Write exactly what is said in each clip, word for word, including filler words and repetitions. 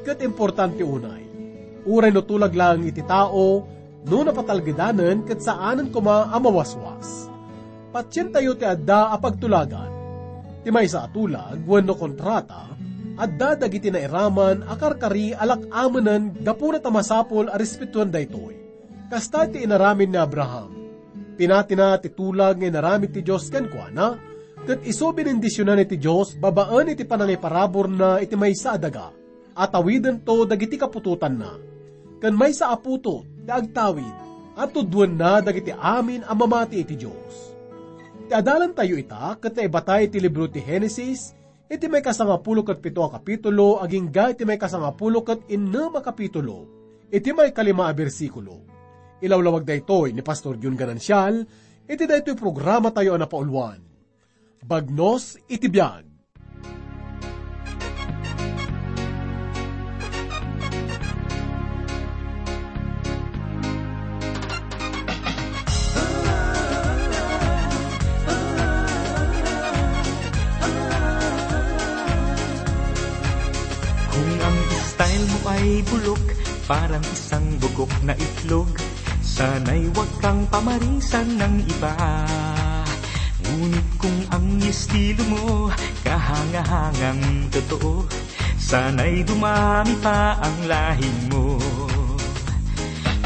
Ket importante unay, uray no tulag laeng iti tao, no napatalgedanen ket saanen koma a mawaswas. Patientayo ti adda a pagtulagan. Ti maysa a tulag wenno kontrata, adda dagiti nairaman a karkari a lak-amenen gapuna ta masapul a respetuen daytoy. Kasta ti inaramid ni Abraham. Pinatina ti tulag nga inaramid ti Dios kenkuana, ket isu benendisionan iti Dios babaen iti panangiparaburna iti maysa a daga, a tawidento dagiti kaputotanna. Ken maysa a putot ti agtawid a tudduenna dagiti amin a mamati iti Dios. Ti adalantayo ita ket naibatay iti libro ti Genesis, iti maikasangapulo ket pito a kapitulo agingga iti maikasangapulo ket innem a kapitulo, iti maikalima a bersikulo. Ilawlawag daytoy ni Pastor Jun Ganancial iti daytoy programatayo a napauluan, Bagnos iti Biag. Kung ang style mo ay bulok, parang isang bugok na itlog, sana'y wag kang pamarisan ng iba. Ngunit kung ang estilo mo, kahanga-hangang totoo, sana'y dumami pa ang lahi mo.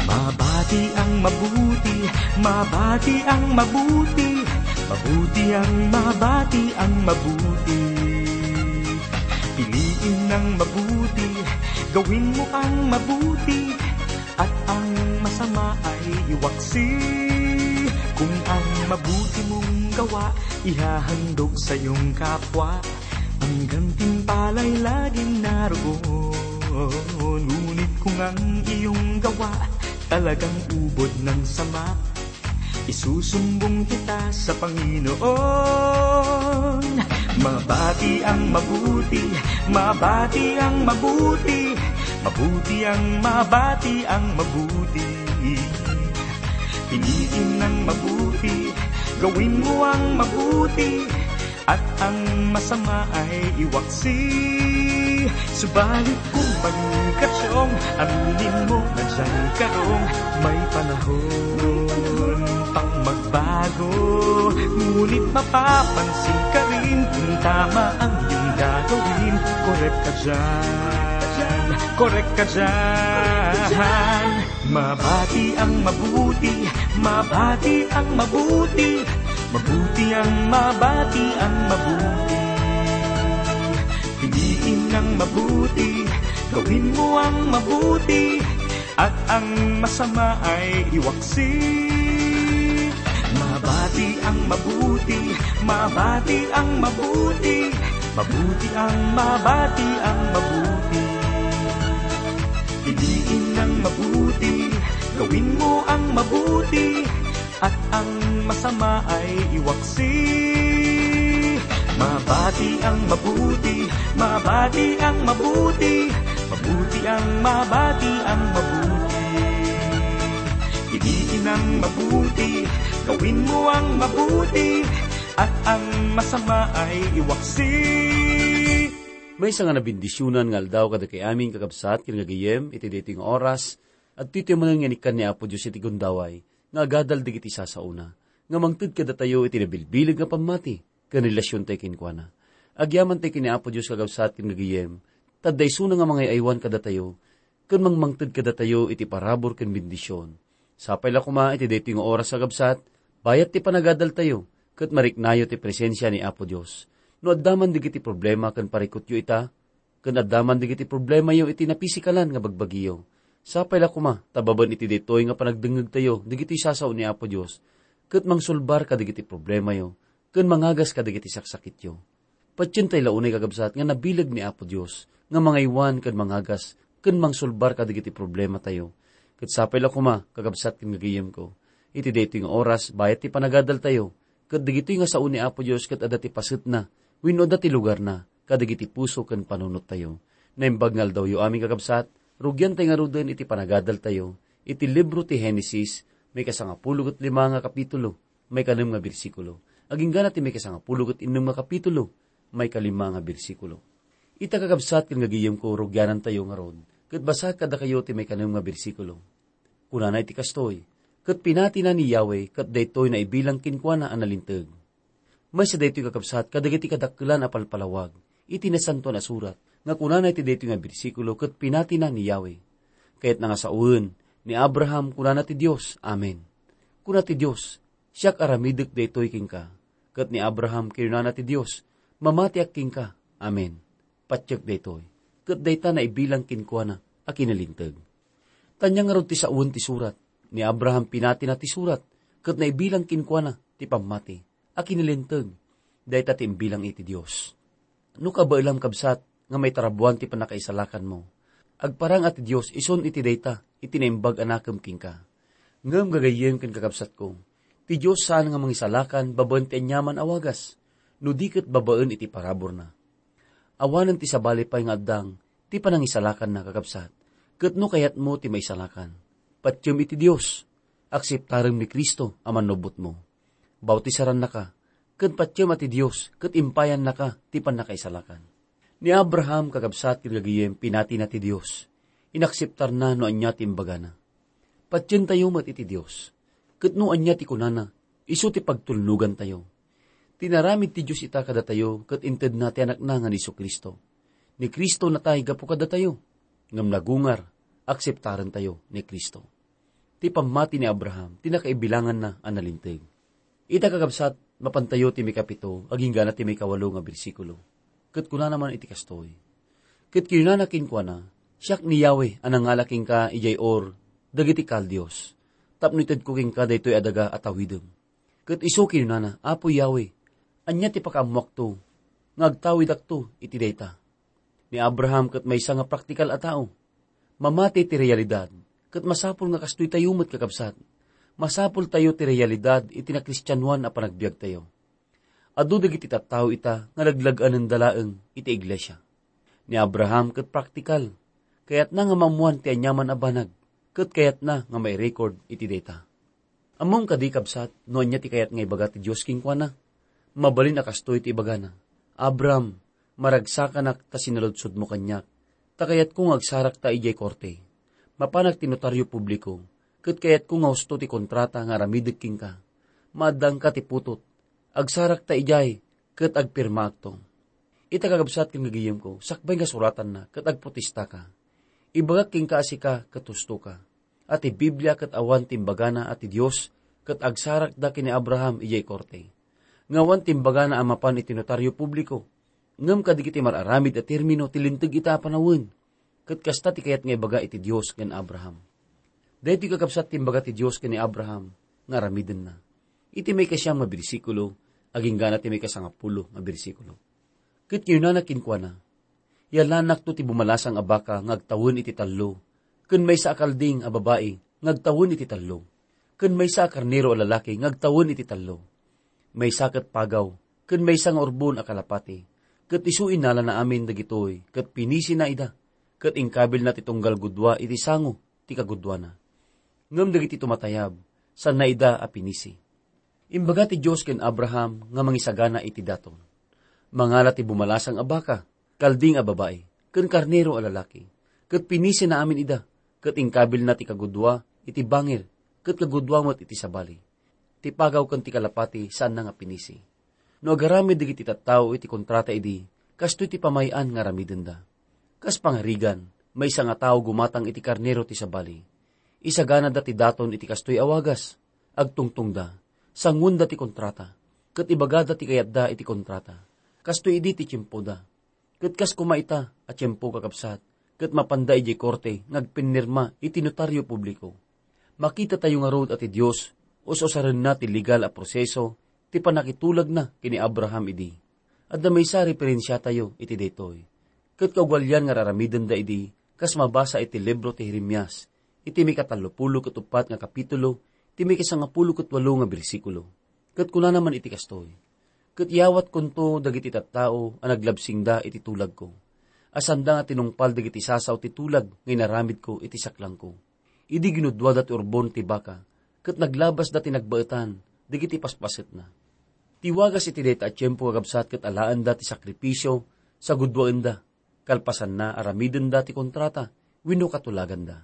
Mabati ang mabuti, mabati ang mabuti, mabuti ang mabati ang mabuti. Piliin ang mabuti, gawin mo ang mabuti, at ang masama ay iwaksi. Kung ang mabuti mong gawa, ihahandog sa iyong kapwa, ang gantimpala'y laging naroon. Ngunit kung ang iyong gawa talagang ubod ng sama, isusumbong kita sa Panginoon. Mabati ang mabuti, mabati ang mabuti, mabuti ang mabati ang mabuti. Piliin ang mabuti, gawin mo ang mabuti, at ang masama ay iwaksi. Subalit kung panikasyong, aminin mo na dyan karong may panahon pang magbago. Ngunit mapapansin ka rin kung tama ang iyong gagawin. Korek ka dyan, korek ka dyan. Mabati ang mabuti, mabati ang mabuti, mabuti ang mabati ang mabuti. Piliin ang mabuti, gawin mo ang mabuti, at ang masama ay iwaksi. Mabati ang mabuti, mabati ang mabuti, mabuti ang mabati ang mabuti. Piliin ang mabuti, gawin mo ang mabuti, at ang masama ay iwaksi. Mabati ang mabuti, mabati ang mabuti, mabuti ang mabati ang mabuti. Piliin ang mabuti, gawin mo ang mabuti, at ang masama ay iwaksi. Maysa nga nabendisionan nga aldaw kadagiti amin, kakabsat ken gagayem, iti daytoy nga oras, adtoy manen nga inikkan ni Apo Dios iti gundaway nga agadal dagiti sasaona, nga mangted kadatayo iti nabilbileg nga pammati ken relasiontayo kenkuana. Agyamantay ken ni Apo Dios, kakabsat ken gagayem, ta adda isuna nga mangay-aywan kadatayo ken mangmangted kadatayo iti parabur ken bendision. Sapay la koma iti daytoy nga oras, kakabsat, bayat ti panagadaltayo, ket mariknayo ti presensia ni Apo Dios. No adda man dagiti problema ken parikutyo ita, ken adda man dagiti problemayo iti napisikalan nga bagbagiyo, sapay la koma ta babaen iti daytoy nga panagdengngegtayo dagitoy sasao ni Apo Dios, ket mangsolbar kadagiti problemayo ken mangagas kadagiti saksakityo. Patientay la unay, kakabsat, nga nabileg ni Apo Dios nga mangaywan ken mangagas ken mangsolbar kadagiti problematayo. Ket sapay la koma, kakabsat ken gagayemko, iti daytoy nga oras, bayat ti panagadaltayo, ket dagitoy nga sao ni Apo Dios ket adda ti pasetna wenno adda ti lugarna kadagiti puso ken panunottayo. Naimbag nga aldawyo amin, kakabsat, rugiantay ngaruden iti panagadaltayo iti libro ti Genesis, maikasangapulo ket lima nga kapitulo, maikanem nga bersikulo, agingga na ti maikasangapulo ket innem nga kapitulo, maikalima nga bersikulo. Ita, kakabsat ken gagayemko, rugianantayo ngarud, ket basaek kadakayo ti maikanem nga bersikulo. Kunana iti kastoy, "Ket pinatina ni Yahweh, ket daytoy naibilang kenkuana a nalinteg." Maysa daytoy, kakabsat, kadagiti kadakkelan a palpalawag iti Nasantoan a Surat nga kunana iti daytoy nga bersikulo, "Ket pinatina ni Yahweh." Kayatna nga sawen, ni Abraham, kunana ti Dios, "Amen." Kuna ti Dios, "Siak aramidek daytoy kenka." Ket ni Abraham, kinunana ti Dios, "Mamatiak kenka." Amen. Patiek daytoy, ket dayta naibilang kenkuana a kinalinteg. Ania ngarud ti sawen ti surat? Ni Abraham, pinatina ti surat, ket naibilang kenkuana ti pammati a kinalinteg. Dayta ti imbilang iti Dios. No kabaelam, kabsat, nga maitarabuan ti pannakaisalakanmo, agparang a ti Dios isun iti dayta iti naimbag a nakem kenka. Ngem gagayyem ken kakabsatko, ti Dios saan nga mangisalakan babaen ti aniaman a wagas, no di ket babaen iti paraburna. Awanen ti sabali pay nga addang ti panangisalakanna, kakabsat, ket no kayatmo ti maisalakan, patiem iti Dios, akseptarem ni Cristo a Mannubbotmo. Bautisarannaka, ken patiem a ti Dios ket impayannaka ti pannakaisalakan. Ni Abraham, kakabsat ken gagayem, pinatina ti Dios. Inakseptarna no ania ti imbagana. Patientayo met iti Dios. Ket no ania ti kunana, isu ti pagtulnogantayo. Tinaramid ti Dios ita kadatayo ket intedna ti Anakna nga ni Jesu-Cristo. Ni Cristo natay gapu kadatayo, ngem nagungar, akseptarentayo ni Cristo. Ti pammati ni Abraham ti nakaibilanganna a nalinteg. Ita, kakabsat, mapantayo ti maikapito agingga ti maikawalo nga bersikulo. Ket kunana man iti kastoy, "Ket kinunana kenkuana, 'Siak ni Yahweh a nangala kenka idiay Ur dagiti Kaldeos, tapno itedko kenka daytoy a daga a tawidem.' Ket isu kinunana, 'Apo Yahweh, ania ti pakaammoakto nga agtawidakto iti dayta?'" Ni Abraham ket maysa nga praktikal a tao. Mamati ti realidad, ket masapul nga kastoy tayo met, kakabsat. Masapul tayo ti realidad iti nakristianoan a panagbiagtayo. Adu dagiti tattao ita nga laglag-anenda laeng iti iglesia. Ni Abraham ket praktikal. Kayatna nga maammoan ti aniaman a banag, ket kayatna nga mairecord iti dayta. Ammom kadi, kabsat, no ania ti kayat nga ibaga ti Dios kenkuana? Mabalin a kastoy ti ibagana, "Abram, maragsakanak ta sinaludsodmo kaniak, ta kayatko nga agsarakta idiay korte. Mapanak ti notario publiko, ket kayatko nga husto ti kontrata nga aramidek kenka. Maaddangka ti putot. Agsarakta idiay, ket agpirmaakto." Ita, kakabsat ken gagayemko, sakbay nga suratanna ket agprotestaka. Ibagak kenka a sika ket hustoka. A ti Biblia ket awan ti imbagana a ti Dios ket agsarakda ken ni Abraham idiay korte. Nga awan ti imbagana a mapan iti notario publiko, ngem kadagiti mar-aramid a termino ti linteg ita a panawen. Ket kasta ti kayat nga ibaga iti Dios ken Abraham. Daytoy, kakabsat, ti imbaga ti Dios ken ni Abraham nga aramidenna. Iti maikasiam nga bersikulo, agingga ti maikasangapulo nga bersikulo. Ket kinunana kenkuana, "Yalanakto ti bumalasang a baka nga agtawen iti tallo, ken maysa a kalding a babai nga agtawen iti tallo, ken maysa a karnero a lalaki nga agtawen iti tallo. Maysa ket pagaw, ken maysa nga urbon a kalapati, ket isu innalana amin dagitoy, ket pinisina ida, ket inkabilna ti tunggal gudua iti sango ti kaguduana. Ngem dagiti tumatayab, saanna ida a pinisi." Imbaga ti Dios ken Abraham nga mangisagana iti daton. Mangala ti bumalasang a baka, kalding a babai, ken karnero a lalaki, ket pinisina amin ida, ket inkabilna ti kagudua iti bangir, ket kagudua met iti sabali. Ti pagaw ken ti kalapati saanna nga pinisi. No agaramid dagiti tattao iti kontrata idi, kastoy ti pamay-an nga aramidenda. Kas pangarigan, maysa nga tao gumatang iti karnero ti sabali. Isaganada ti daton iti kastoy a wagas. Agtungtongda, sanguenda ti kontrata, ket ibagada ti kayatda iti kontrata. Kastoy idi ti tiempoda. Ket kas koma ita a tiempo, kakabsat, ket mapanda idiay korte nga agpinnirma iti notario publiko. Makitatayo ngarud a ti Dios us-usarenna ti legal a proseso ti pannakitulagna ken ni Abraham idi. Adda maysa a referensiatayo iti daytoy. Ket kaugalian nga ar-aramidenda idi, kas mabasa iti libro ti Jeremias, iti maikatallopulo ket uppat nga kapitulo, ti maikasangapulo ket walo nga bersikulo. Ket kunana man iti kastoy, "Ket iyawatkonto dagiti tattao a naglabsingda iti tulagko, a saanda nga tinungpal dagiti sasaw ti tulag nga inaramidko iti saklangko. Idi ginuduada ti urbon ti baka, ket naglabasda ti nagbaetan dagiti paspasetna." Ti wagas iti dayta a tiempo, kakabsat, ket alaenda ti sakripisio, saguduaenda, Kalpasanna, aramidenda ti kontrata wenno katulaganda.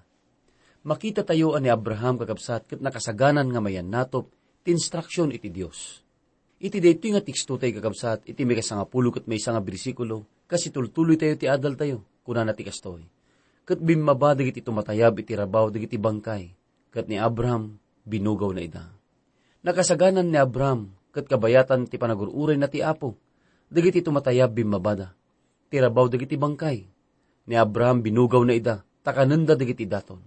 Makitatayo a ni Abraham, kakabsat, ket nakasaganan nga mayannatop ti instruksion iti Dios. Iti daytoy nga teksto tayo, kakabsat, iti maikasangapulo ket maysa nga bersikulo, kas itultuloytayo ti adaltayo, kunana ti kastoy, "Ket bimmaba dagiti tumatayab iti rabaw dagiti bangkay, ket ni Abraham binugawna ida." Nakasaganan ni Abraham ket kabayatan ti panagur-urayna ti Apo dagiti tumatayab bimmabada ti rabaw dagiti bangkay. Ni Abraham binugawna ida ta kanenda dagiti daton.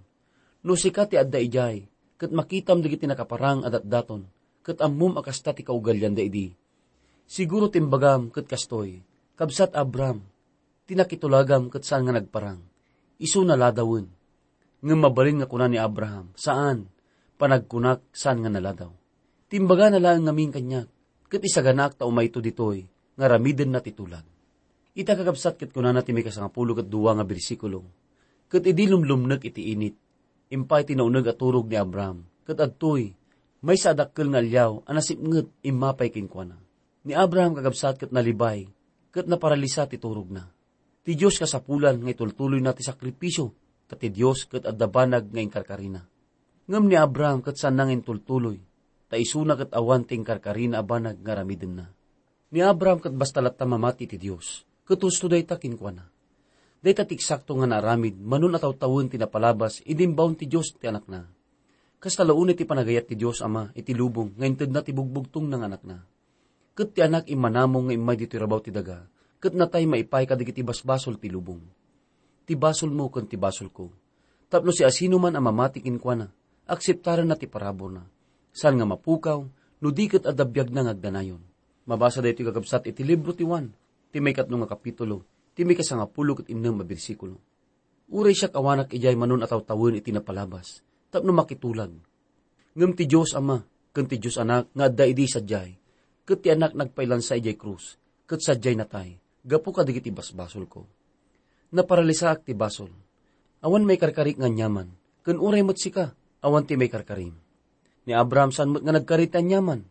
No sika ti adda idiay, ket makitam dagiti nakaparang a datdaton, ket ammom a kasta ti kaugalianda idi, siguro timbagam ket kastoy, "Kabsat Abraham, ti nakitulagam ket saan nga nagparang, isu naladawen." Ngem mabalin nga kuna ni Abraham, "Saan, panagkunak, saan nga naladaw. Timbagana laeng ngamin kaniak, ket isaganaak ta umayto ditoy nga aramidenna ti tulag." Ita, kakabsat, ket kunana ti maikasangapulo ket dua nga bersikulo, "Ket idi lumlumnek iti init, impay ti nauneg a turog ni Abraham, ket adtoy, maysa a dakkel nga alliaw a nasipnget immapay kenkuana." Ni Abraham, kakabsat, ket nalibay, ket naparalisa ti turogna. Ti Dios kasapulan nga itultuloyna ti sakripisio, ta ti Dios ket adda banag nga inkarkarina. Ngem ni Abraham ket saanna nga intultuloy, ta isuna ket awan ti inkarkarina a banag nga aramidenna. Ni Abraham ket basta latta mamati ti Dios, ket husto dayta kenkuana. Dayta ti eksakto nga naaramid, manon a tawtawen ti napalabas idi imbaon ti Dios ti Anakna. Kasta la unay ti panagayat ti Dios Ama iti lubong nga intedna ti bugbugtongna nga Anakna. Ket ti Anak immanamong nga immay ditoy rabaw ti daga, ket natay maipaay kadagiti basbasol ti lubong. Ti basolmo ken ti basolko. Tapno siasinoman a mamati kenkuana, akseptarenna ti paraburna, saan nga mapukaw, no di ket adda biagna nga agdanayon. Mabasa daytoy, kakabsat, iti libro ti Juan, ti maikatlo nga kapitulo, ti maikasangapulo ket innem a bersikulo. Uray siak, awanak idiay manon a tawtawen iti napalabas, tapno makitulag. Ngem ti Dios Ama ken ti Dios Anak nga adda idi sadiay, ket ti Anak nagpailansa idiay krus, ket sadiay natay, gapu kadagiti basbasolko. Naparalisaak ti basol. Awan maikarkarik nga aniaman, ken uray met sika, awan ti maikarkarim. Ni Abraham saan met nga nagkari ti aniaman.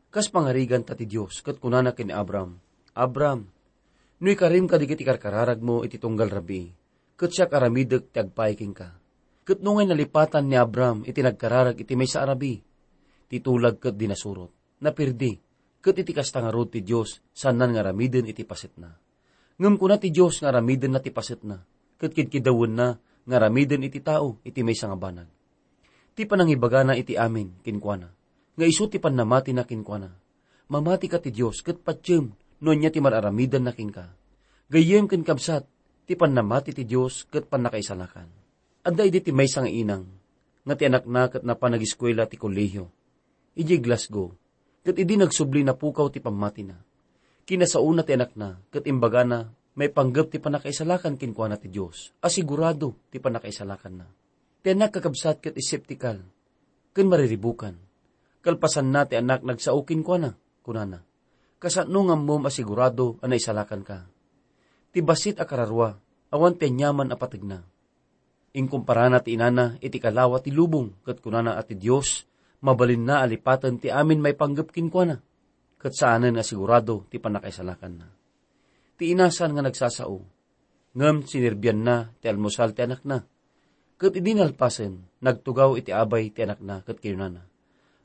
Kas pangariganta ti Dios, ket kunana ken ni Abraham, "Abraham, no ikarim kadagiti karkararagmo iti tunggal rabii, ket siak aramidek ti agpaay kenka." Ket nungay nalipatan ni Abraham iti nagkararag iti maysa a rabii, ti tulag ket di nasurot, napirdi, ket iti kasta ngarud ti Dios saannan nga aramiden iti pasetna. Ngem kuna ti Dios nga aramidenna ti pasetna, ket kidkidawenna nga aramiden iti tao iti maysa nga banag. Ti panangibagana iti amin kenkuana, nga isu ti pannamatina kenkuana. Mamatika ti Dios ket patiem no ania ti mar-aramidanna kenka. Gayyem ken kabsat, ti pannamati ti Dios ket pannakaisalakan. Adda idi ti maysa nga inang nga ti anakna ket napan nagiskuela ti kolehio idiay Glasgow, ket idi nagsubli, napukaw ti pammatina. Kinasaona ti anakna ket imbagana maipanggep ti pannakaisalakan kenkuana ti Dios, a sigurado ti pannakaisalakanna. Ti anak, kakabsat, ket eskeptikal ken mariribukan. Kalpasanna, ti anak nagsao kenkuana, kunana, "Kasano nga ammom a sigurado a naisalakanka?" Ti bassit a kararua, awan ti aniaman a pategna. Inkumparana ti inana iti kalawa ti lubong ket kunana a ti Dios mabalinna a lipaten ti amin maipanggep kenkuana, ket saanen a sigurado ti pannakaisalakanna. Ti ina saan nga nagsasao, ngem sinerbianna ti almusal ti anakna. Ket idi nalpasen, nagtugaw iti abay ti anakna ket kinunana,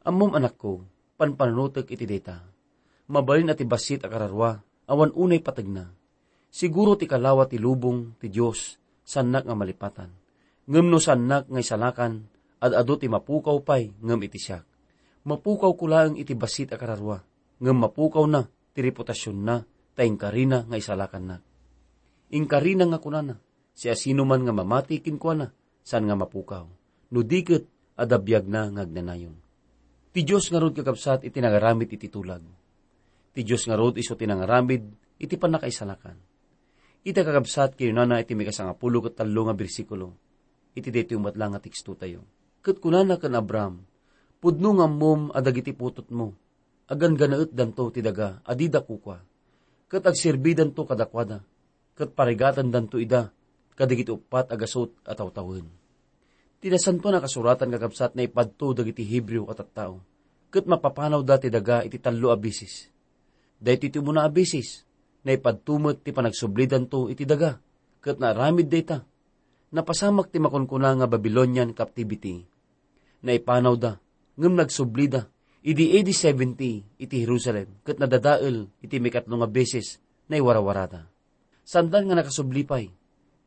"Ammom, anakko, panpanunotek iti dayta. Mabalin a ti bassit a kararua, awan unay pategna. Siguro ti kalawa ti lubong ti Dios, saannak nga malipatan. Ngem no saannak nga isalakan, ad-adu ti mapukaw pay ngem iti siak. Mapukawko laeng iti bassit a kararua, ngem mapukawna ti reputasionna ta inkarina nga isalakannak." Inkarina nga kunana, "Siasinoman nga mamati kenkuana, saan nga mapukaw. No di ket, adda biagna nga agnanayon." Ti Dios ngarud, kakabsat, iti nangaramid iti tulag. Ti Dios ngarud isu ti nangaramid iti pannakaisalakan. Ita, kakabsat, kinunana iti maikasangapulo ket tallo nga bersikulo iti daytoy met la nga tekstotayo. Ket kunana ken Abraham, "Pudno nga ammom a dagiti putotmo, aganggannaetdanto ti daga a dida kukua, ket agserbidanto kadakuada, ket parigatendanto ida kadagiti uppat a gasut a tawtawen." Ti Nasantoan a Kasuratan, kakabsat, naipadto dagiti Hebreo a tattao, ket mapapanawda ti daga iti tallo a bisis. Daytoy ti umuna a bisis, naipadto met ti panagsublidanto iti daga ket naaramid dayta. Napasamak ti makunkuna nga Babylonian captivity. Naipanawda, ngem nagsublida idi A D seventy iti Jerusalem ket nadadael iti maikatlo nga beses naiwarawarada. Sandan nga nakasubli pay,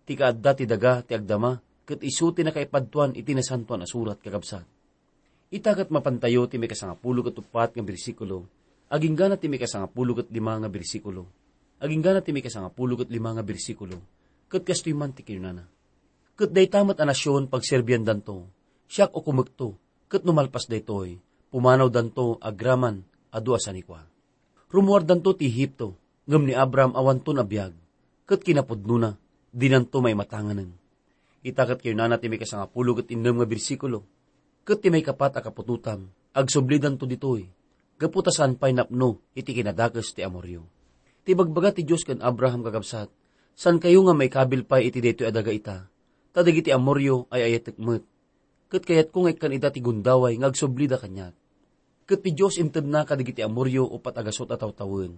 ti kaadda ti daga ti agdama ket isu ti nakaipadtuan iti Nasantoan a Surat, kakabsat. Ita ket mapantayo ti maikasangapulo ket uppat nga bersikulo, aginggana ti maikasangapulo ket lima nga bersikulo, aginggana ti maikasangapulo ket lima nga bersikulo, ket kastoy man ti kinunana, "Ket dayta met a nasion pagserbiandanto, siak ukomekto, ket no malpas daytoy, pumanawdanto agraman adu a sanikua." Rumuardanto ti Egipto, ngem ni Abraham awanton a biag, ket kinapudnona, dinanto maimatanganen. Ita ket kinunana ti maikasangapulo ket innem nga bersikulo, ket ti maikapat a kaputotam, agsublidanto ditoy, gapu ta saan pay napno iti kinadakes ti Amorio. Ti ibagbaga ti Dios ken Abraham, kakabsat, "Saankayo nga maikabil pay iti daytoy a daga ita, ta dagiti Amorio ay-ayatek met, ket kayatko nga ikkan ida ti gundaway nga agsublida kaniak." Ket ti Dios intedna kadagiti Amorio uppat a gasut a tawtawen.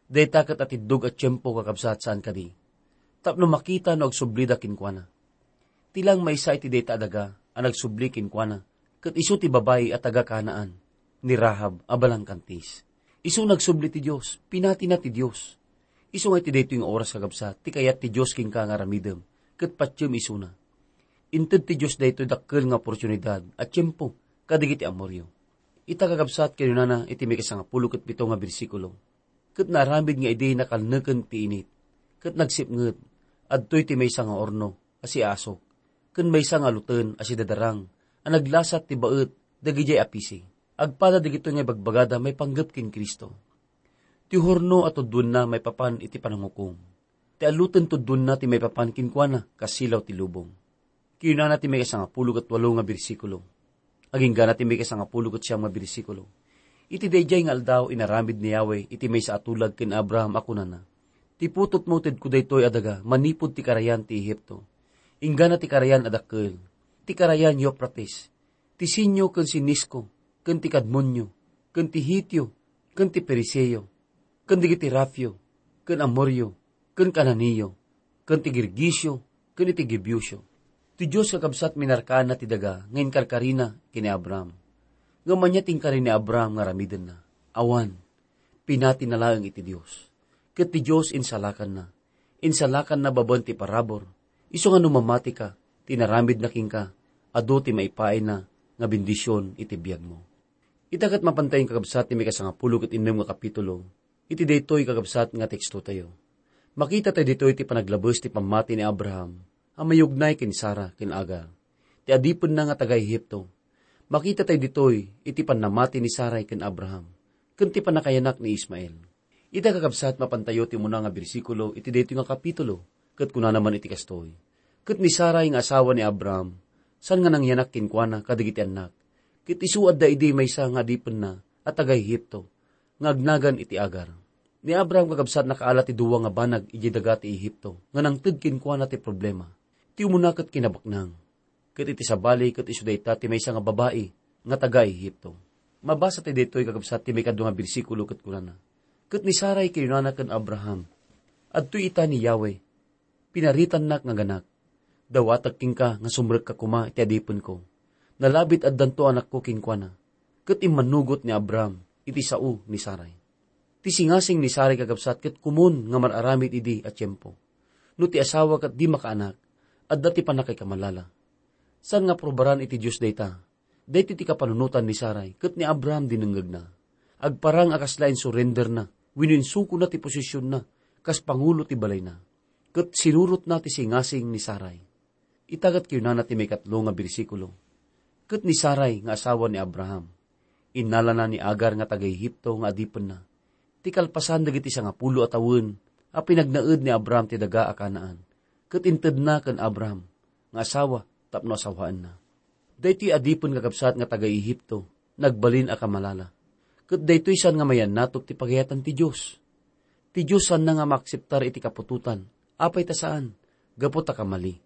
Dayta ket atiddog a tiempo, kakabsat, saan kadi? Tapno makita no agsublida kenkuana. Ti lang maysa iti dayta a daga a nagsubli kenkuana, ket isu ti babai a taga-Canaan, ni Rahab a balangkantis. Isu nagsubli ti Dios, pinatina ti Dios. Isu nga iti daytoy nga oras, kakabsat, ti kayat ti Dios kenka nga aramidem, ket patiem isuna. Inted ti Dios daytoy dakkel nga oportunidad a tiempo kadagiti Amorio. Ita, kakabsat, kinunana iti maikasangapulo ket pito nga bersikulo, "Ket naaramid nga idi nakalneken ti init, ket nagsipnget, adtoy ti maysa nga urno a siasok, ken maysa nga aluten a sidadarang a naglasat ti baet dagidiay a pisi." Agpada dagitoy nga ibagbagada maipanggep ken Cristo. Ti hurno a tudduenna maipapan iti panangukom. Ti aluten tudduenna ti maipapan kenkuana kas silaw ti lubong. Kinunana ti maikasangapulo ket walo nga bersikulo. Aginggana ti maikasangapulo ket siam nga bersikulo, "Iti daydiay nga aldaw inaramid ni Yahweh iti maysa a tulag ken Abraham a kunana, 'Ti putotmo tedko daytoy a daga manipud ti karayan ti Egipto, inggana ti karayan a dakkel, ti karayan Eufrates, ti Sinio ken Sinisco, ken ti Kadmonio, ken ti Hitio, ken ti Periseo, ken dagiti Rafio, ken Amorio, ken Cananeo, ken ti Girgisio, ken iti Jebusio.'" Ti Dios, kakabsat, minarkaanna ti daga nga inkarkarina ken ni Abraham. Ngem ania ti inkari ni Abraham nga aramidenna? Awan, pinatina laeng iti Dios. Ket ti Dios insalakanna. Insalakanna babaen ti parabur. Isu nga no mamatika, ti inaramidna kenka, adu ti maipaayna nga bendision iti biagmo. Ita ket mapantayo, kakabsat, ti maikasangapulo ket innem nga kapitulo iti daytoy, kakabsat, nga tekstotayo. Makita tayo ditoy ti panaglabes ti pammati ni Abraham a mayugnay ken Sara ken Agar, ti adipenna nga taga-Egipto. Makita tayo ditoy iti pannamati ni Sarai ken Abraham, ken ti pannakayanak ni Ismael. Ita, kakabsat, mapantayo ti umuna nga bersikulo iti daytoy nga kapitulo, ket kunana man iti kastoy, "Ket ni Sarai nga asawa ni Abraham, saan nga nangyanak kenkuana kadagiti annak, ket isu adda idi maysa nga adipenna a taga-Egipto, nga agnagan iti Agar." Ni Abraham, kakabsat, nakaala ti dua nga banag idiay daga ti Egipto nga nangted kenkuana ti problema. Ti umuna ket kinabaknang. Ket iti sabali, ket isu dayta ti maysa nga babai nga taga-Egipto. Mabasa ti daytoy, kakabsat, ti maikadua nga bersikulo ket kunana, "Ket ni Sarai kinunana ken Abraham, 'Adtoy ita ni Yahweh, pinaritannak nga ganak. Dawatek kenka nga sumrekka koma iti adipenko. Nalabit addanto anakko kenkuana.'" Ket immanugot ni Abraham iti sao ni Sarai. Ti singasing ni Sarai, kakabsat, ket komun nga mar-aramid idi a tiempo. No ti asawa ket di makaanak, adda ti pannakaikamalala. Saan nga aprobaran iti Dios dayta? Daytoy ti kapanunotan ni Sarai ket ni Abraham dinengngegna. Agparang a kasla insurenderna wenno insukona ti posisionna kas pangulo ti balayna, ket sinurotna ti singasing ni Sarai. Ita ket kinunana ti maikatlo nga bersikulo, "Ket ni Sarai nga asawa ni Abraham, innalana ni Agar nga taga-Egipto nga adipenna, ti kalpasan dagiti sangapulo a tawen a pinagnaed ni Abraham ti daga a Canaan, ket intedna ken Abraham nga asawa tapno asawaenna." Daytoy adipen, kakabsat, nga taga-Egipto, nagbalin a kamalala. Ket daytoy saan nga mayannatok ti pagayatan ti Dios. Ti Dios saanna nga maakseptar iti kaputotan, apay ta saan, gapu ta kamali.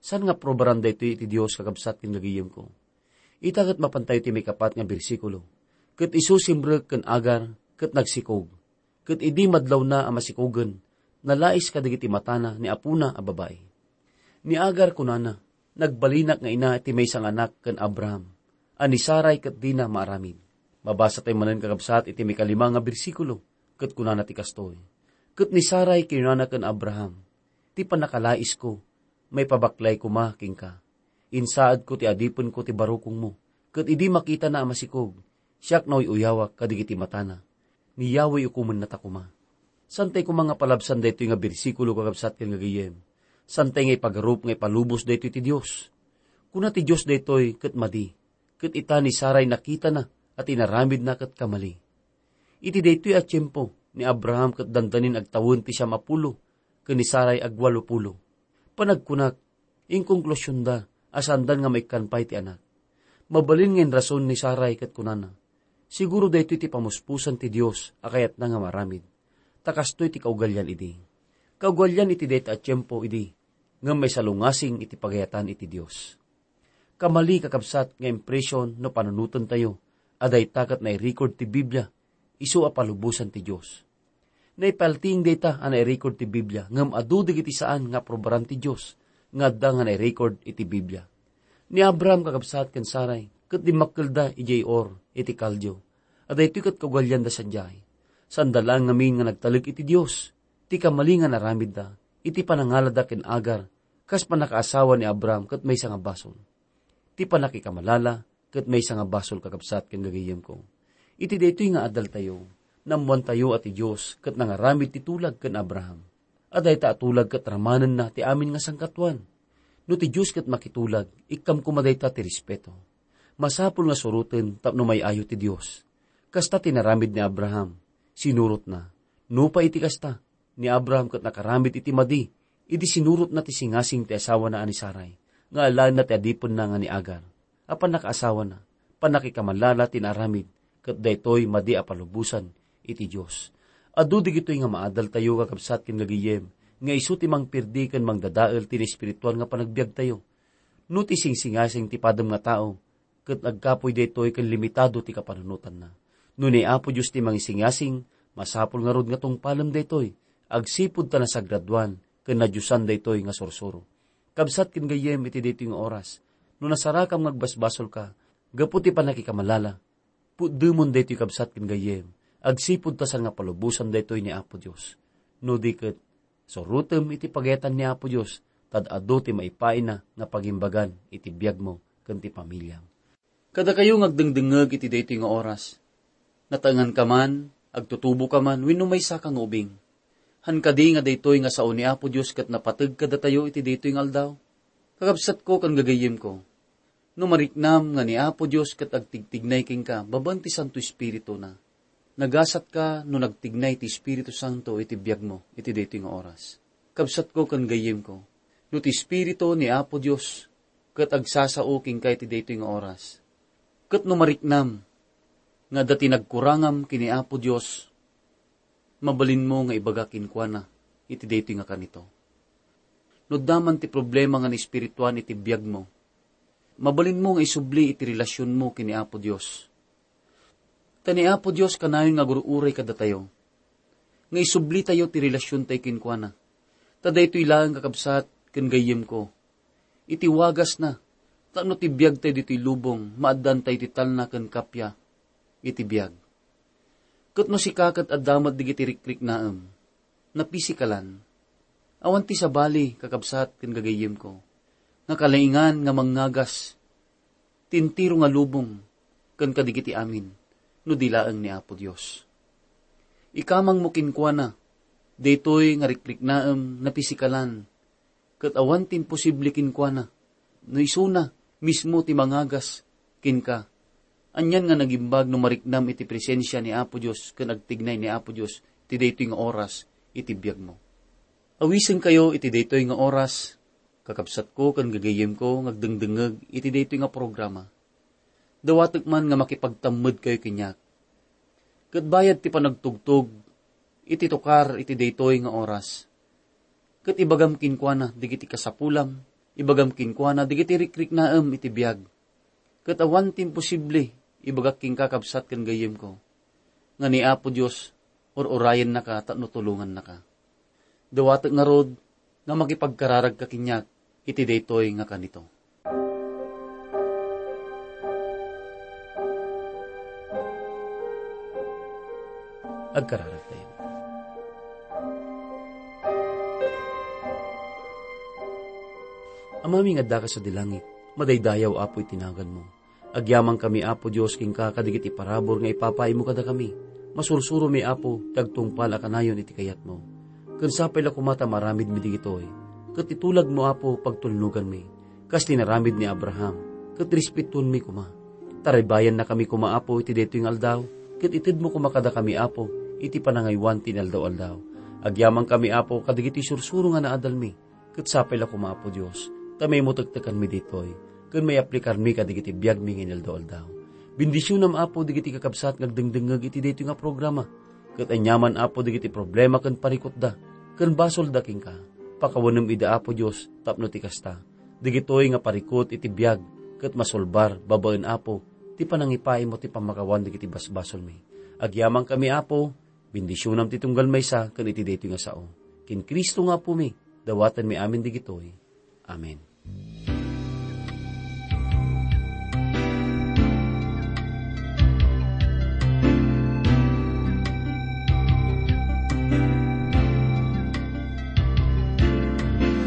Saan nga aprobaran daytoy iti Dios, kakabsat ken gagayemko? Ita ket mapantayo ti maikapat nga bersikulo, "Ket isu simrek ken Agar ket nagsikog. Ket idi madlawna a masikogen, nalais kadagiti matana ni apona a babai. Ni Agar kunana, "Nagbalinak nga ina iti maysa nga anak ken Abraham, a ni Sarai ket dina maaramid." Mabasa tayo manen, kakabsat, iti mikalima nga bersikulo, ket kunana ti kastoy, "Ket ni Sarai kinunana ken Abraham, 'Ti pannakalaisko, maipabaklay koma kenka. Insaadko ti adipenko ti barukongmo, ket idi makitana a masikog, siak nauy-uyawak kadagiti matana. Ni Yahweh ukomennata koma.'" Santay koma nga palabsan daytoy nga bersikulo, kakabsat ken gagayyem. Santay nga ipagarup nga ipalubos daytoy ti Dios. Kuna ti Dios daytoy ket madi, ket ita ni Sarai nakitana a tinaramidna ket kamali. Iti daytoy a tiempo, ni Abraham ket dandanin agtawen ti siam a pulo, ken ni Sarai agwalo pulo. Panagkunak, inkongklusionda a saandan nga maikkan pay ti anak. Mabalin nga inrason ni Sarai ket kunana, "Siguro daytoy ti pamuspusan ti Dios a kayatna nga maaramid, ta kastoy ti kaugalian idi." Kaugalian iti dayta a tiempo idi, ngem maisalungasing iti pagayatan iti Dios. Kamali, kakabsat, nga impression no panunotentayo a dayta ket nairecord ti Biblia isu a palubosan ti Dios. Naipaltiing dayta a nairecord ti Biblia, ngem adu dagiti saan nga aprobaran ti Dios nga adda nga nairecord iti Biblia. Ni Abraham, kakabsat, ken Sarai ket dimmakkelda idiay Ur iti Kaldio, a daytoy ket kaugalianda sadiay. Saanda laeng ngamin nga nagtalek iti Dios. Ti kamali nga naramidda iti panangalada ken Agar kas pannakaasawa ni Abraham ket maysa nga basol. Ti pannakikamalala ket maysa nga basol, kakabsat ken gagayyemko. Iti daytoy nga adaltayo, naammoantayo a ti Dios ket nangaramid ti tulag ken Abraham. A dayta a tulag ket ramanenna ti amin nga sangkatuan. No ti Dios ket makitulag, ikkam koma dayta ti respeto. Masapul nga suroten tapno may-ayo ti Dios. Kasta ti naramid ni Abraham. Sinurotna. Nupay iti kasta, ni Abraham ket nakaramid iti madi idi sinurotna ti singasing ti asawana a ni Sarai, nga alaenna ti adipenna nga ni Agar. A pannakaasawana, pannakikamalala ti naaramid, ket daytoy madi a palubosan iti Dios. Adu dagitoy nga maadaltayo, kakabsat ken gagayyem, nga isu ti mangperdi ken mangdadael ti naespirituan nga panagbiagtayo. No ti singsingasing ti padem nga tao, ket agkapuy daytoy ken limitado ti kapanunotanna. No ni Apo Dios ti mangisingasing, masapul ngarud nga tungpalem daytoy, agsipud ta nasagradoan ken nadiosan daytoy nga sursuro. Kabsat ken gayyem, iti daytoy nga oras, no nasarakam nga agbasbasolka gapu ti pannakikamalala, pudemon daytoy, kabsat ken gayyem, agsipud ta saan nga palubosan daytoy ni Apo Dios. No di ket, surotem iti pagayatan ni Apo Dios, ta adu ti maipaayna nga pagimbagan iti biagmo ken ti pamiliam. Kadakayo nga agdengdengngeg iti daytoy nga oras, nataenganka man, agtutuboka man, wenno maysaka nga ubing, han kadi nga daytoy nga sao ni Apo Dios ket napateg kadatayo iti daytoy nga aldaw? Kakabsatko ken gagayyemko, no mariknam nga ni Apo Dios ket agtigtignay kenka babaen ti Santo Espirituna, nagasatka no nagtignay ti Espiritu Santo iti biagmo iti daytoy nga oras. Kabsatko ken gayyemko, no ti Espiritu ni Apo Dios ket agsasao kenka iti daytoy nga oras, ket no mariknam nga adda ti nagkurangam ken ni Apo Dios, mabalinmo nga ibaga kenkuana iti daytoy nga kanito. No adda man ti problema nga naespirituan iti biagmo, mabalinmo nga isubli iti relasionmo ken ni Apo Dios. Ta ni Apo Dios kanayon nga agur-uray kadatayo, nga isublitayo ti relasiontayo kenkuana. Ta daytoy laeng, kakabsat ken gayyemko, iti wagasna, tapno ti biagtayo ditoy lubong, maaddaantayo ti talna ken kappia iti biag. Ket no sika ket adda met dagiti rikriknaem, napisikalan, awan ti sabali, kakabsat ken gagayyemko, nga kalaingan nga mangngagas ti entero nga lubong ken kadagiti amin, no di laeng ni Apo Dios. Ikamangmo kenkuana daytoy nga rikriknaem napisikalan, ket awan ti imposible kenkuana, no isuna mismo ti mangagas kenka. Anian nga nagimbag no mariknam iti presensia ni Apo Dios ken agtignay ni Apo Dios ti daytoy nga oras iti biagmo. Awisenkayo iti daytoy nga oras, kakabsatko ken gagayyemko nga agdengdengngeg iti daytoy nga programa. Dawatek man nga makipagtammedkayo kaniak. Ket bayad ti panagtugtog iti tukar iti daytoy nga oras, ket ibagam kenkuana dagiti kasapulam, ibagam kenkuana dagiti rikriknaem iti biag. Ket awan ti imposible, ibagak kenka, kabsat ken gayyemko, nga ni Apo Dios ur-urayennaka tapno tulongannaka. Dawatek ngarud nga makipagkararagka kaniak iti daytoy nga kanito. Agkararagtayo. Amami nga addaka sadi langit, madaydayaw, Apo, iti naganmo. Agyamankami, Apo Dios, kenka kadagiti parabur nga ipapaaymo kadakami. Masursuromi, Apo, ti agtungpal a kanayon iti kayatmo. Ken sapay la koma ta maaramidmi digitoy. Ket itulagmo, Apo, pagtulnoganmi. Kas ti naramid ni Abraham, ket respetuenmi koma. Taraybayannakami koma, Apo, iti daytoy nga aldaw, ket itedmo koma kadakami, Apo, iti panangaywan ti inaldaw-aldaw. Agyamankami, Apo, kadagiti sursuro nga naadalmi. Ket sapay la koma, Apo Dios, ta maimmutektekanmi ditoy, ken maiaplikarmi kadagiti biagmi nga inaldaw-aldaw. Bendisionam, Apo, dagiti kakabsat nga agdengdengngeg iti daytoy nga programa. Ket aniaman, Apo, dagiti problema ken parikutda, ken basolda kenka. Pakawanem ida, Apo Dios, tapno ti kasta, dagitoy nga parikut iti biag, ket masulbar babaen, Apo, ti panangipaaymo ti pammakawan dagiti basbasolmi. Agyamankami, Apo, bendisionam ti tunggal maysa ken iti daytoy nga sao. Ken Cristo nga Apomi, dawatenmi amin dagitoy. Amen.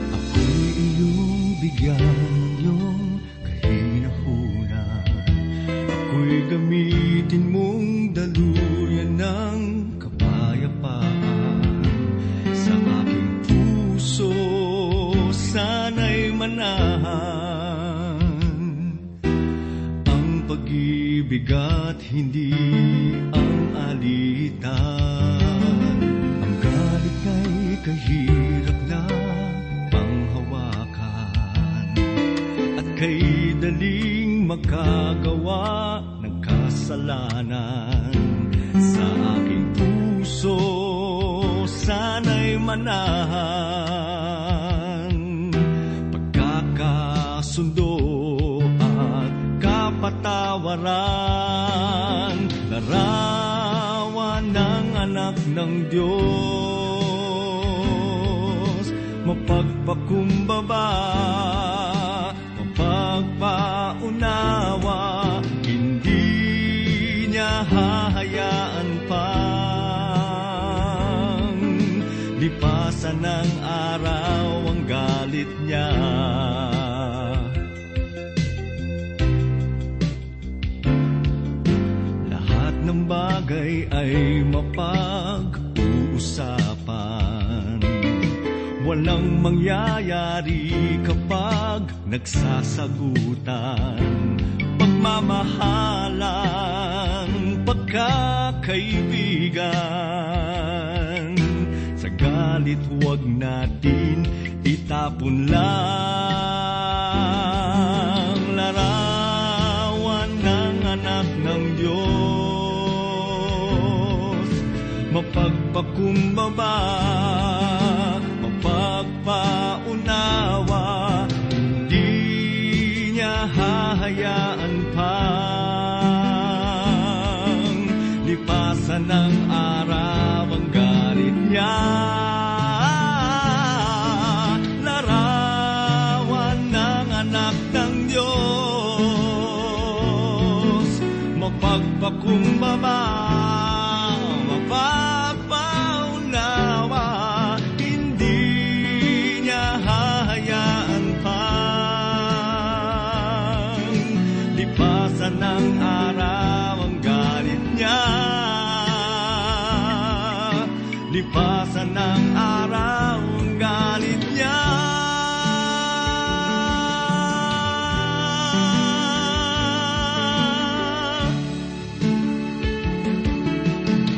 Ako'y iyong bigyan ng iyong kahinahuna. Ako'y gamitin mong daluyan ng kapayapaan. Sa aking puso, sana'y manahan ang pag-ibig at hindi ang alitan. Ang galit ay kahirap na panghawakan at kay daling makagawa ng kasalanan. Sa aking puso, sana'y manahan pagkakasundo at kapatawaran, larawan ng anak ng Diyos, mapagpakumbaba, mapagpaunawa, hindi niya hahayaan pang lipasan ng araw ang galit niya. Lahat ng bagay ay mapag-uusapan. Walang mangyayari kapag nagsasagutan. Pagmamahalan, pagkakaibigan. Sa galit, huwag natin itapon lang. Larawan ng anak ng Diyos, mapagpakumbaba, mapagpaunawa, hindi niya hahayaan pang lipasan ng araw ang galit niya. Larawan ng anak ng Diyos, mapagpakumbaba, mapagpaunawa, hindi niya hahayaan pang lipasan ng araw ang galit niya. Lipasan ng araw ang galit niya.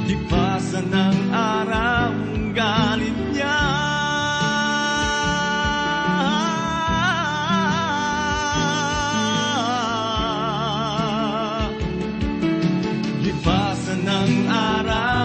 Lipasan ng araw ang galit niya. Lipasan ng araw